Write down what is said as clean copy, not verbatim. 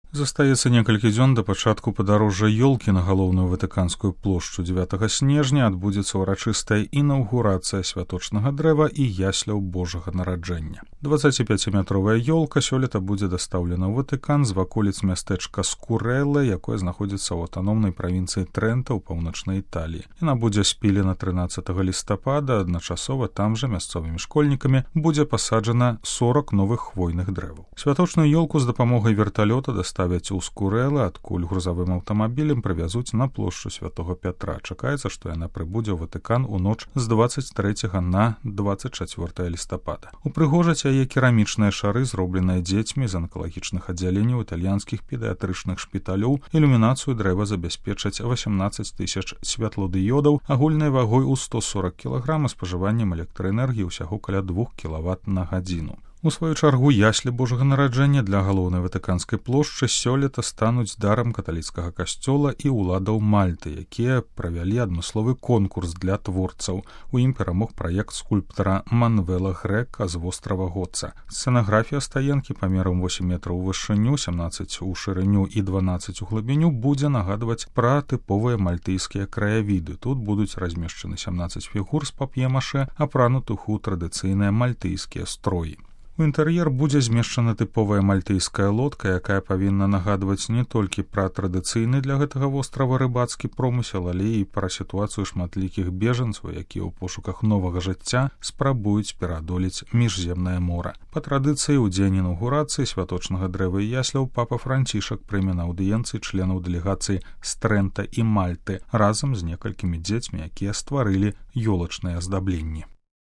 Застаецца некалькі дзён да пачатку падарожжа ёлкі на галоўную ватыканскую плошчу. 9 снежня адбудзецца ўрачыстая інаўгурацыя святочнага дрэва і ясляў Божага нараджэння. 25-метровая ёлка сёлета будзе дастаўлена ў Ватыкан з ваколіц мястэчка Скурэлла, якое знаходзіцца ў аўтаномнай правінцыі Трэнта ў паўночнай Італіі. Яна будзе спілена 13 лістапада, адначасова там жа мясцовымі школьнікамі будзе пасаджана 40 новых хвойных дрэваў. Святочную ёлку з дапамогай верталёта ставяць у Скурэлла, адкуль грузавым аўтамабілем прывязуць на плошчу Святога Пятра. Чакаецца, што яна прыбудзе ў Ватыкан у ноч з 23 на 24 лістапада. Упрыгожаць яе керамічныя шары, зробленыя дзецьмі з анкалагічных аддзяленняў італьянскіх педыятрычных шпіталёў. Ілюмінацыю дрэва забяспечаць 18 000 святлодыёдаў, агульнай вагой у 140 кг, спажываннем электраэнергіі ўсяго каля 2 кВт на гадзіну. У сваю чаргу яслі Божага нараджэння для галоўнай ватыканскай плошчы сёлета стануць дарам каталіцкага касцёла і ўладаў Мальты, якія правялі адмысловы конкурс для творцаў. У ім перамог праект скульптара Манвела Грэка з вострава Гоца. Сцэнаграфія стаенкі памерам 8 метраў у вышыню, 17 у шырыню і 12 у глыбіню будзе нагадваць пра тыповыя мальтыйскія краявіды. Тут будуць размешчаны 17 фігур з пап'е-маше, апранутых у традыцыйныя мальтыйскія строі. У інтэр'ер будзе змешчана тыповая мальтыйская лодка, якая павінна нагадваць не толькі пра традыцыйны для гэтага вострава рыбацкі промысел, але і пра сітуацыю шматлікіх бежанцаў, якія ў пошуках новага жыцця спрабуюць пераадолець міжземнае мора. Па традыцыі, у дзень інаўгурацыі святочнага дрэва і ясляў папа Францішак прыме на аўдыенцыі членаў дэлегацыі з Трэнта і Мальты разам з некалькімі дзецьмі, якія стварылі ёлачныя аздабленні.